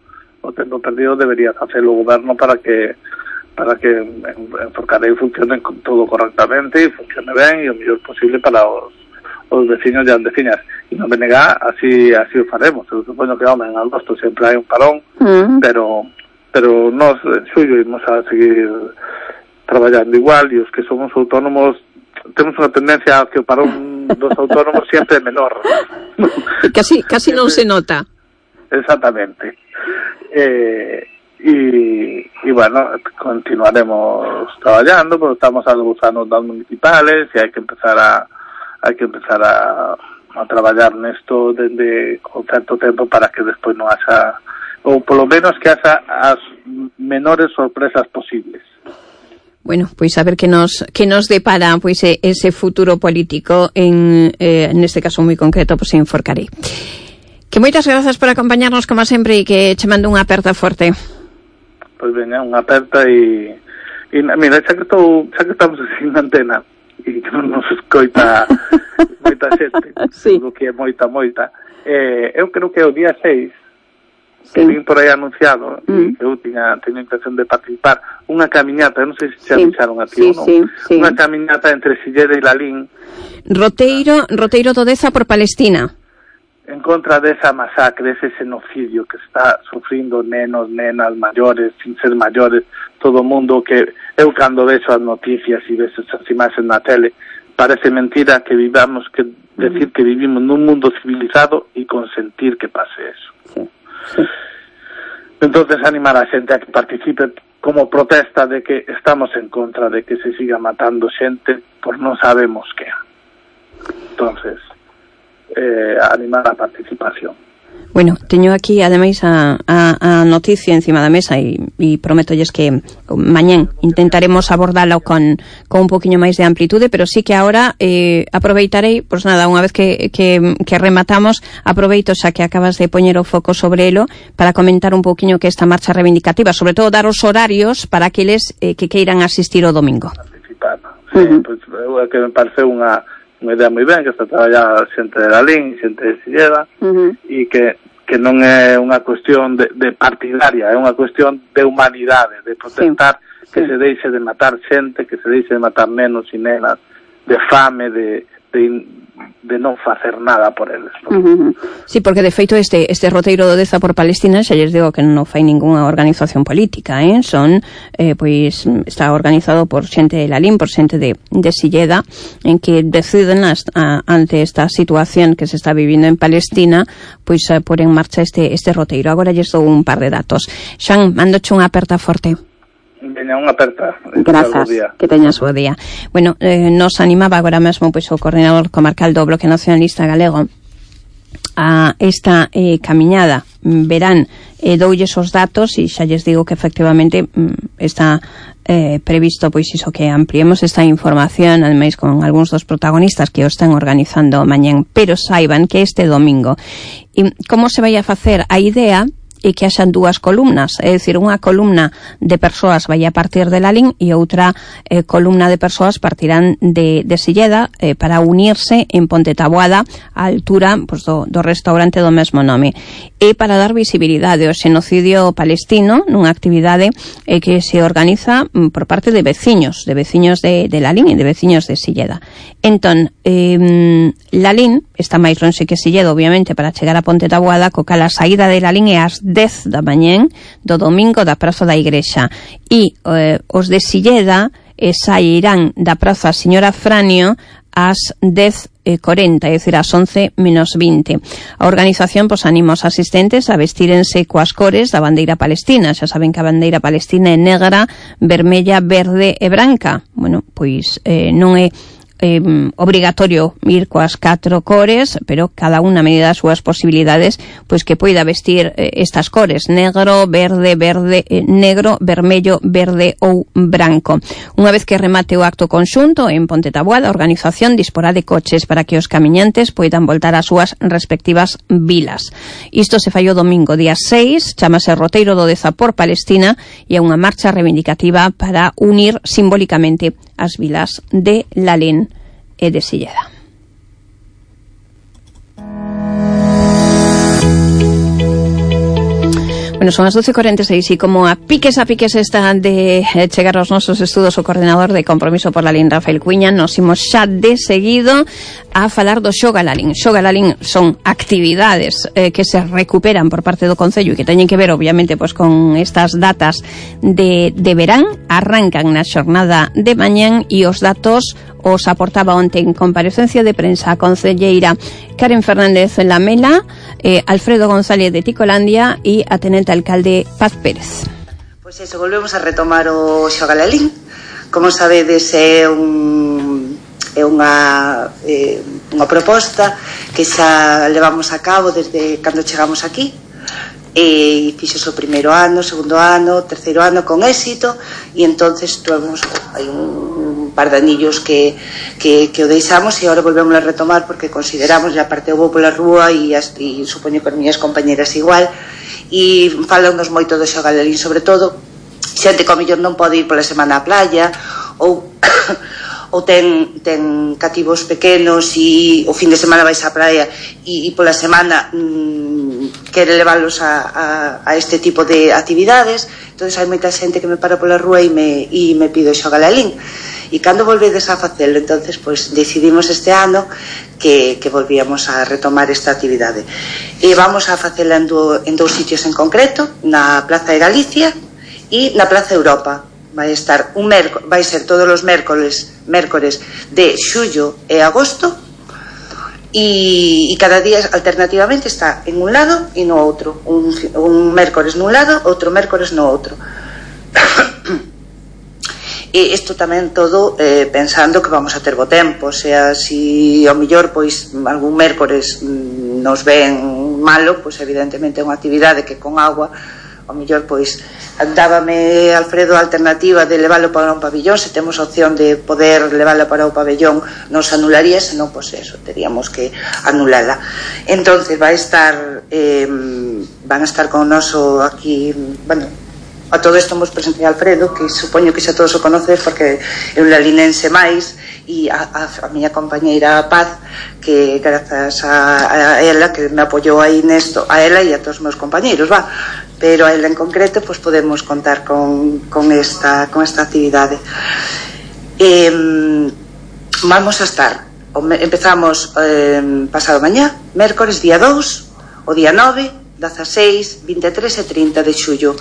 tempo perdido, debería facelo o goberno para que en Forcarei funcione todo correctamente e funcione ben e o mellor posible para os veciños e as veciñas. E non me nega, así o faremos. Eu supoño que, hombre, en agosto sempre hai un parón, pero nós en xullo imos a seguir traballando igual, e os que somos autónomos temos unha tendencia a que o parón dos autónomos sempre é menor. Casi non se nota. Exactamente. Y bueno, continuaremos traballando, porque estamos algo das municipales e hai que empezar a traballar nesto dende con certo tempo para que despois non haxa, ou polo menos que haxa as menores sorpresas posibles. Bueno, pois a ver que nos depara pois ese futuro político neste caso moi concreto, pois en Forcarei. Que moitas grazas por acompañarnos como sempre e que che mando unha aperta forte. Pois veña, unha aperta e mira, xa que estamos sin antena e que non nos escoita moita xente, sí. Que é moita eu creo que o día 6 que vin por aí anunciado, eu teño intención de participar, unha camiñata, non sei se xa avisaron a ti ou non, unha camiñata entre Silleda e Lalín, Roteiro do Deza por Palestina, en contra desa masacre, ese xenocidio que está sufrindo nenos, nenas, maiores, sin ser maiores, todo o mundo, que eu cando vexo as noticias e vexo as imaxes na tele, parece mentira que vivamos, que decir que vivimos nun mundo civilizado e consentir que pase eso. Sí. Entonces animar a xente a que participe como protesta de que estamos en contra de que se siga matando xente por non sabemos que. Entonces animar a participación. Bueno, teño aquí ademais a noticia encima da mesa e prométolles que mañán intentaremos abordalo con un poquinho máis de amplitude, pero sí que agora aproveitarei, pois nada, unha vez que rematamos, aproveito xa que acabas de poñer o foco sobre elo para comentar un poquinho que esta marcha reivindicativa, sobre todo dar os horarios para aqueles que queiran asistir o domingo. Participar, sí, pois que me parece unha idea moi ben, que está traballada xente de Lalín, xente de Silleda, e que non é unha cuestión de partidaria, é unha cuestión de humanidade, de protestar, que se deixe de matar xente, que se deixe de matar nenos e nenas, de fame, de non facer nada por eles, Sí, porque de feito este roteiro do Deza por Palestina xa lles digo que non fai ningunha organización política, son pois está organizado por xente de Lalín, por xente de Silleda, en que deciden ante esta situación que se está vivindo en Palestina, pois por en marcha este roteiro. Agora lles dou un par de datos. Xan, mandoche unha aperta forte. Veña, unha aperta. Grazas, que teñas bo día. Bueno, nos animaba agora mesmo pois o coordinador comarcal do Bloque Nacionalista Galego a esta camiñada. Verán, doulles os datos e xa lles digo que efectivamente está previsto pois iso, que ampliemos esta información, ademais con algúns dos protagonistas que o están organizando mañán, pero saiban que este domingo. E como se vai a facer? A idea e que haxan dúas columnas, é dicir, unha columna de persoas vai a partir de Lalín e outra columna de persoas partirán de Silleda para unirse en Ponte Taboada á altura pues, do restaurante do mesmo nome, e para dar visibilidade ao xenocidio palestino nunha actividade que se organiza por parte de veciños de Lalín e de veciños de Silleda. Entón, Lalín está máis lonxe que Silleda, obviamente, para chegar a Ponte Taboada, co cal a saída de Lalín é ás 10 da mañén do domingo da Praza da Igrexa, e os de Silleda sairán da Praza Señora Franio ás 10:40, é dicir, ás 11:20. A organización anima os asistentes a vestírense coas cores da bandeira palestina. Xa saben que a bandeira palestina é negra, vermella, verde e branca. Bueno, pois non é obrigatorio ir coas 4 cores, pero cada unha a medida das súas posibilidades, pois que poida vestir estas cores: negro, verde, negro, vermello, verde ou branco. Unha vez que remate o acto conxunto en Ponte Taboada, a organización disporá de coches para que os camiñantes poidan voltar ás súas respectivas vilas. Isto se fai o domingo, día 6, chamase Roteiro do Deza por Palestina, e é unha marcha reivindicativa para unir simbólicamente as vilas de Lalín e de Silleda. Bueno, son as 12:46 e como a piques está de chegar aos nosos estudos o coordinador de Compromiso por Lalín, Rafael Cuiña, nos imos xa de seguido a falar do Xoga Lalín. Xoga Lalín son actividades que se recuperan por parte do Concello e que teñen que ver, obviamente, pues, con estas datas de verán. Arrancan na xornada de mañán e os datos os aportaba onte en comparecencia de prensa a concelleira Karen Fernández Lamela, Alfredo González de Ticolandia e a tenente alcalde Paz Pérez. Pois eso, volvemos a retomar o Xoga Lalín. Como sabedes, é unha proposta que xa levamos a cabo desde cando chegamos aquí, e fixos o primeiro ano, segundo ano, terceiro ano con éxito, e entonces tuvemos hai un par de anillos que o deixamos e agora volvemos a retomar porque consideramos, ya parte eu vou pola rúa e supoño que as miñas compañeras igual, e falanos moito do Xoga Lalín, sobre todo xente que ao mellor non pode ir pola semana á playa ou ten cativos pequenos e o fin de semana vais á praia e pola semana quere leválos a este tipo de actividades. Entonces hai moita xente que me para pola rúa e me pide o Xoga Lalín, e cando volvedes a facelo, entonces pues decidimos este ano que volvíamos a retomar esta actividade, e vamos a facela en dous sitios en concreto, na Plaza de Galicia e na Plaza Europa. Vai ser todos os mércores de xullo e agosto, e cada día alternativamente está en un lado e no outro, un mércores nun lado, outro mércores no outro. E isto tamén todo pensando que vamos a ter bo tempo, o sea, si ao mellor pois algún mércores nos ven malo, pois evidentemente é unha actividade que con agua ao mellor pois dábame Alfredo a alternativa de leválo para un pabellón. Se temos opción de poder leválo para o pabellón nos anularía, senón pois eso, teríamos que anulala. Entonces van a estar con noso aquí, bueno, a todo isto hemos presentado a Alfredo, que supoño que xa todos o conoces porque é un lalinense máis, e a miña compañeira Paz, que grazas a ela que me apoyou aí nesto, a ela e a todos os meus compañeiros, pero a ela en concreto pues podemos contar con esta actividade. Vamos a estar empezamos pasado mañá, mércores día 2, o día 9, 16, 23 e 30 de xullo,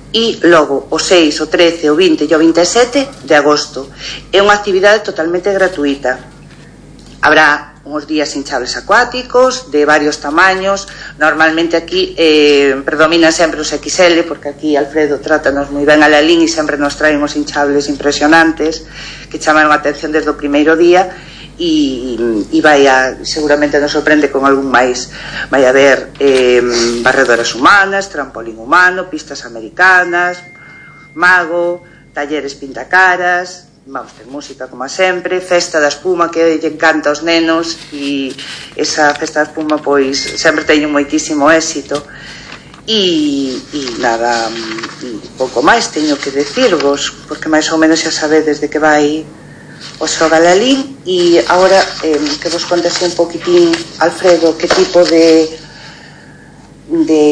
e logo o 6, o 13, o 20 e o 27 de agosto. É unha actividade totalmente gratuita. Habrá uns días hinchables acuáticos de varios tamaños. Normalmente aquí predominan sempre os XL, porque aquí Alfredo trátanos moi ben a Lalín e sempre nos traen os hinchables impresionantes que chamaron a atención desde o primeiro día, e seguramente nos sorprende con algún máis. Vai haber barredoras humanas, trampolín humano, pistas americanas, mago, talleres pintacaras. Vamos ter música como sempre, festa da espuma que lle encanta aos nenos, e esa festa da espuma pois sempre teño moitísimo éxito. E nada, pouco máis teño que decirvos, porque máis ou menos xa sabedes de que vai o Xogalalín. E agora que vos contase un poquitín, Alfredo, que tipo de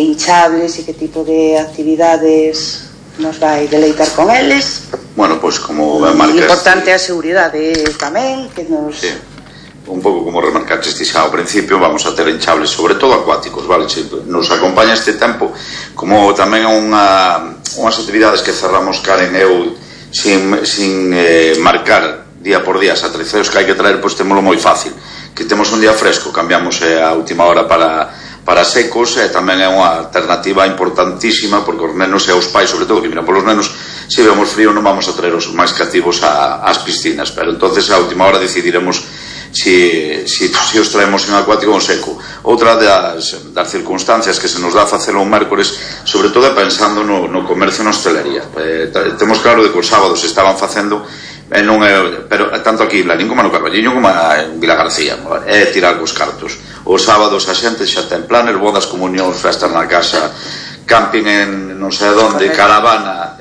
hinchables e que tipo de actividades nos vai deleitar con eles. Bueno, pois como marcaste... Importante a seguridade tamén, que nos... Sí, un pouco como remarcaste xa ao principio, vamos a ter hinchables, sobre todo acuáticos, vale? Nos acompaña este tempo, como tamén unhas actividades que cerramos Karen e eu sin marcar día por día, as atreceos que hai que traer, pois témolo moi fácil, que temos un día fresco, cambiamos a última hora para secos, e tamén é unha alternativa importantísima, porque os nenos e os pais, sobre todo que miran polos nenos, se vemos frío non vamos a traer os máis cativos ás piscinas, pero entonces a última hora decidiremos si os traemos en acuático ou en seco. Outra das circunstancias que se nos dá a facelo un mércores, sobre todo pensando no comercio e na hostelería. Temos claro de que os sábados se estaban facendo, pero tanto aquí en Lalín como no Carballiño como en Vila García, é tirar cos cartos. Os sábados a xente xa ten planes, bodas, comunións, festas na casa, camping en non sei onde, caravana,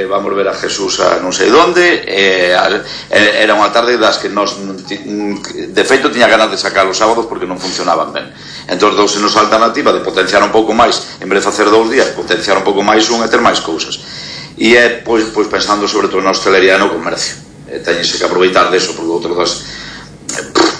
vamos ver a Jesús a non sei onde. Era unha tarde das que nos, de feito, tiña ganas de sacar os sábados porque non funcionaban ben. Entón dousenos a alternativa de potenciar un pouco máis, en vez de facer 2 días, potenciar un pouco máis e ter máis cousas. E é pois pensando sobre todo na hostelería e no comercio. Teñese que aproveitar deso, porque outro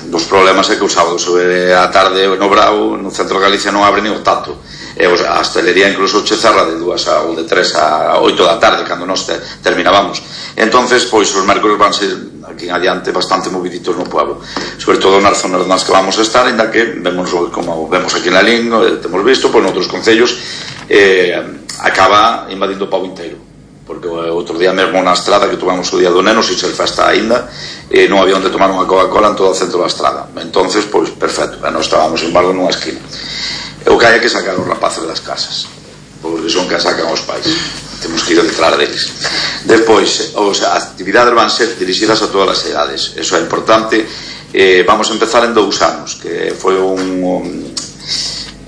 dos problemas é que os sábados a tarde no Bravo, no centro de Galicia, non abre ni o tato. A hostelería incluso che cerra de 2 ou de 3 a 8 da tarde, cando nos terminábamos. Entonces, pois os mércores van ser aquí en adiante bastante moviditos no pueblo, sobre todo nas zonas nas que vamos a estar, ainda que vemos, como vemos aquí en Lalín, temos visto, pois noutros concellos acaba invadindo o pau inteiro, porque outro día mesmo na estrada que tomamos o día do neno, sin ser festa aínda, non había onde tomar unha Coca-Cola en todo o centro da estrada. Entonces, pois, perfecto, nós estábamos en embargo nunha esquina. O que hai que sacar os rapaces das casas, porque son que sacan os pais, temos que ir detrás deles. Despois, as actividades van ser dirixidas a todas as edades, eso é importante. Vamos a empezar en 2 anos, que foi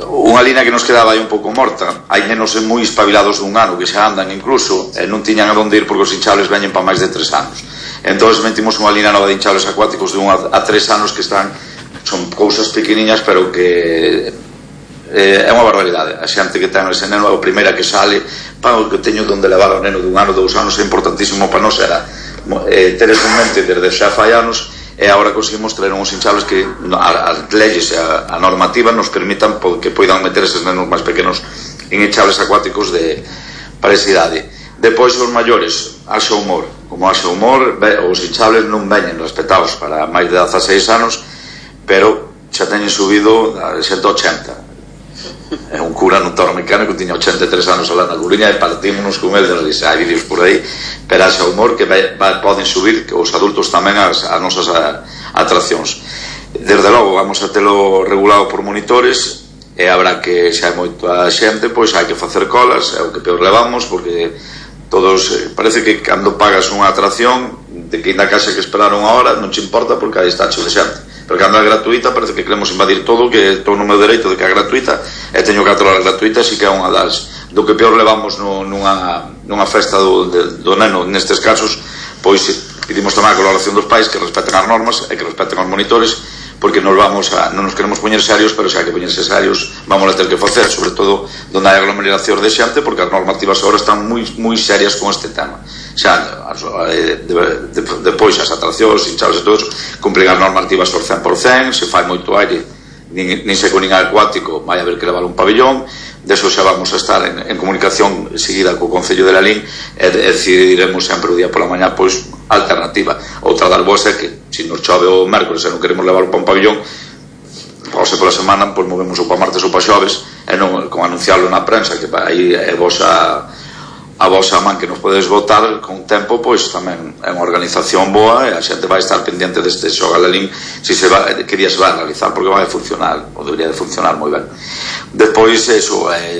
unha línea que nos quedaba aí un pouco morta. Hai nenos moi espabilados dun ano que xa andan incluso, non tiñan a donde ir porque os hinchables veñen para máis de 3 anos. Entón metimos unha línea nova de hinchables acuáticos de 1 a 3 anos que son cousas pequeniñas, pero que é unha barbaridade. A xente que ten ese neno é a primeira que sale, o que teño donde levar ao neno de 1 ano, 2 anos é importantísimo para nós, era ter eso en mente desde xa fai anos. E agora conseguimos traer uns hinchables que as leyes e a normativa nos permitan que poidan meter eses nenos máis pequenos en hinchables acuáticos para esa idade. Depois os maiores, haxa humor. Como haxa humor, os hinchables non veñen respetados para máis de 16 anos, pero xa teñen subido a 180. É un cura nun torno mecánico que tiña 83 anos alá na Coruña e partímonos con ele, hai vídeos por aí, pero haxa humor que poden subir os adultos tamén as nosas atraccións. Desde logo vamos a telo regulado por monitores, e habrá que, se hai moita xente, pois hai que facer colas, é o que peor levamos, porque todos, parece que cando pagas unha atracción de que ainda case que esperar unha hora non te importa porque aí está cheo de xente. Pero cando é gratuita parece que queremos invadir todo, que estou no meu dereito de que é gratuita e teño 4 horas gratuitas, e que é unha do que peor levamos nunha festa do neno. Nestes casos, pois pedimos tamén a colaboración dos pais, que respeten as normas e que respeten os monitores, porque non nos queremos poñer serios, pero se hai que poñerse serios vamos a ter que facer, sobre todo donde hai aglomeracións de xente, porque as normativas agora están moi serias con este tema. Xa, depois as atraccións, hinchados e todo, cumplen as normativas por 100%, se fai moito aire, nin seco nin acuático, vai haber que levar un pabellón. Deso xa vamos a estar en comunicación seguida co Concello de Lalín e decidiremos sempre o día pola mañá pois alternativa. Outra das boas é que se nos chove o mércoles e non queremos levar para un pabellón, ou se pola semana pois movemos o para martes ou para xoves e non con anunciarlo na prensa, que aí é a vosa man que nos podedes votar con tempo, pois tamén é unha organización boa e a xente vai estar pendiente deste Xoga Lalín que día se vai a realizar, porque vai a funcionar, ou debería de funcionar moi ben. Depois,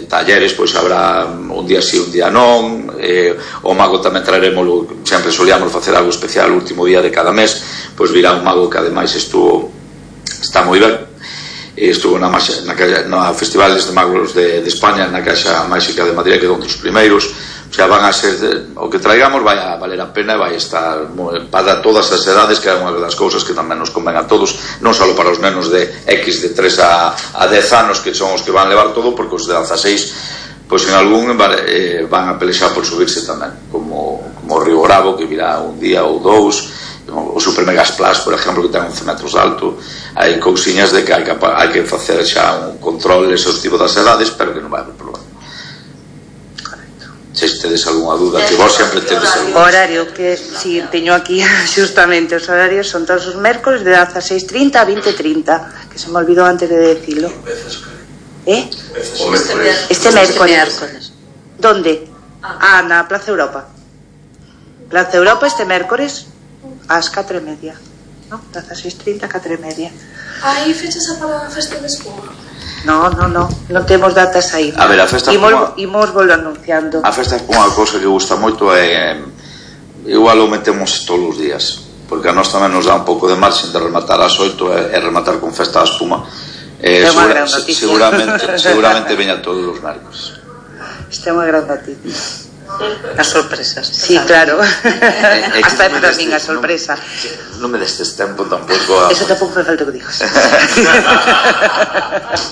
talleres, pois habrá un día sí, un día non, o mago tamén traeremos, sempre solíamos facer algo especial o último día de cada mes, pois virá un mago que ademais está moi ben, estuvo na Festivales de Magos de España, na Caixa Máxica de Madrid, que é un dos primeiros. Xa van a ser, o que traigamos vai a valer a pena e vai estar para todas as edades, que é unha das cousas que tamén nos conven a todos, non só para os nenos de X de 3 a 10 anos, que son os que van levar todo, porque os de 16 pois en algún van a pelexar por subirse tamén, como o Río Bravo, que virá un día ou dous, o Super Megas Plus, por exemplo, que ten 11 metros de alto. Hai cousiñas de que hai que facer xa un control exhaustivo das edades, pero que non vai haber problema. Se tedes algunha dúda, que vos sempre tedes algún... O horario, que si teño aquí justamente os horarios, son todos os mércoles de 16:30 a 20:30, que se me olvidou antes de decirlo. Este mércoles. ¿Dónde? Na Plaza Europa. Plaza Europa este mércoles ás 4:30, ¿no? Plaza 6:30, 4:30. Hai fechas para a festa de espuma? Non temos datas aí. A ver, a festa espuma... Imos volvo anunciando. A festa espuma, a cousa que gusta moito é... Igual o metemos todos os días, porque a nós tamén nos dá un pouco de marxen de rematar ás 8 e rematar con festa a espuma. Seguramente veña todos os mércoles. Isto é unha gran noticia. As sorpresas. Sí, claro. Hasta para min a sorpresa. Non me destes tempo tampouco. Eso tampouco me falta que digas.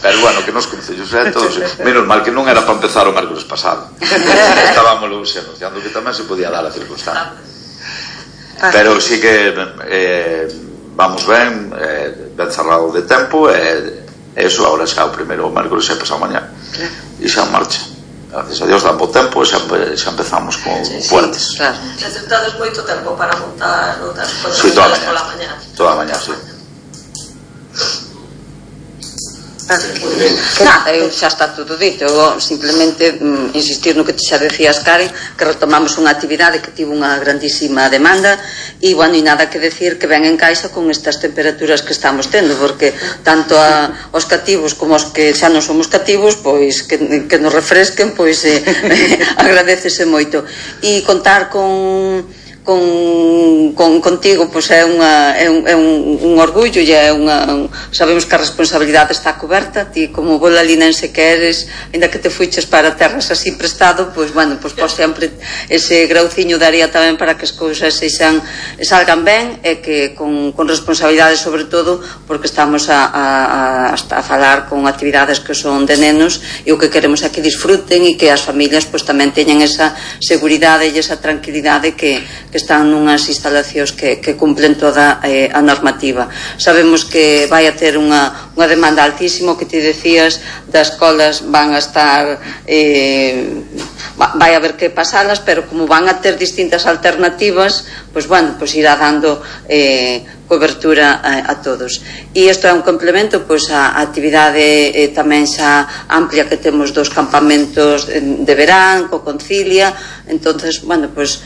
Pero bueno, que nos concellos todos. Menos mal que non era para empezar o mércoles pasado. Estábamos anunciando que tamén se podía dar a circunstancia. Pero sí que vamos ben cerrado de tempo e eso, agora xa o primeiro mércoles e pasado mañá e xa en marcha. Gracias a Dios dá bo tempo e xa empezamos con fuertes. Claro. Necesitades moito tempo para montar outras cousas. Sí, toda a mañá. Toda a mañá, sí. Nada, xa está todo dito. Simplemente insistir no que te xa decías, Karen, que retomamos unha actividade que tivo unha grandísima demanda e, bueno, e nada que decir que ven en caixa con estas temperaturas que estamos tendo, porque tanto os cativos como os que xa non somos cativos, pois que nos refresquen, pois agradecese moito. E contar contigo pois é un orgullo e é sabemos que a responsabilidade está coberta. Ti como bo lalinense que eres, ainda que te fuiches para terras así prestado, pois bueno, pois por sempre ese grauciño daría tamén para que as cousas salgan ben e que con responsabilidade, sobre todo porque estamos a falar con actividades que son de nenos e o que queremos é que disfruten e que as familias pois tamén teñan esa seguridade e esa tranquilidade que están nunhas instalacións que cumplen toda a normativa. Sabemos que vai a ter unha demanda altísima, que te decías, das escolas van a estar vai haber que pasalas, pero como van a ter distintas alternativas, pois bueno, pois irá dando cobertura a todos. E isto é un complemento pois a actividade tamén xa amplia que temos dos campamentos de verán, co Concilia. Entonces, bueno, pois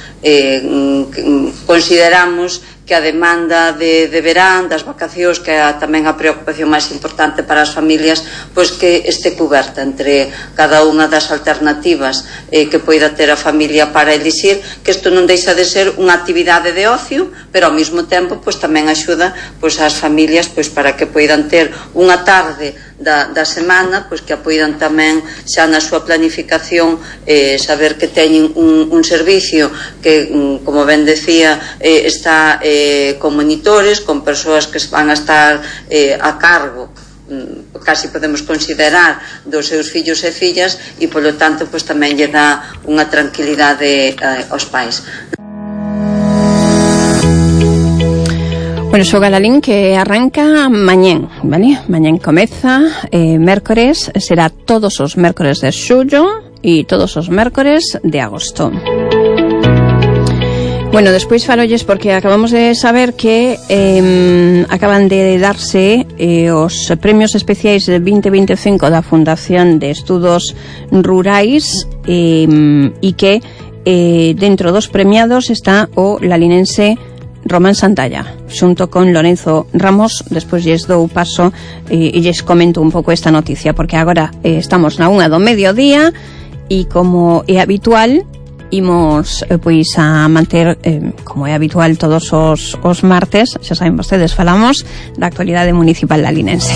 consideramos que a demanda de verán, das vacacións, que é tamén a preocupación máis importante para as familias, pois que este cuberta entre cada unha das alternativas que poida ter a familia para elixir, que isto non deixa de ser unha actividade de ocio, pero ao mesmo tempo pois tamén axuda pois ás familias pois para que poidan ter unha tarde da semana, pois que apoidan tamén xa na súa planificación saber que teñen un servicio que, como ben decía, está con monitores, con persoas que van a estar a cargo, casi podemos considerar, dos seus fillos e fillas, e polo tanto pois tamén lle dá unha tranquilidade aos pais. Bueno, Xoga Lalín que arranca mañén, vale? Mañén comeza, mércores, será todos os mércores de xullo e todos os mércores de agosto. Bueno, despois falolles porque acabamos de saber que acaban de darse os premios especiais de 2025 da Fundación de Estudos Rurais e que dentro dos premiados está o lalinense Román Santalla, xunto con Lorenzo Ramos. Despois lles dou paso e lles comento un pouco esta noticia, porque agora estamos na 1 do mediodía e como é habitual imos pois a manter como é habitual todos os martes, xa saben vostedes, falamos da actualidade municipal lalinense.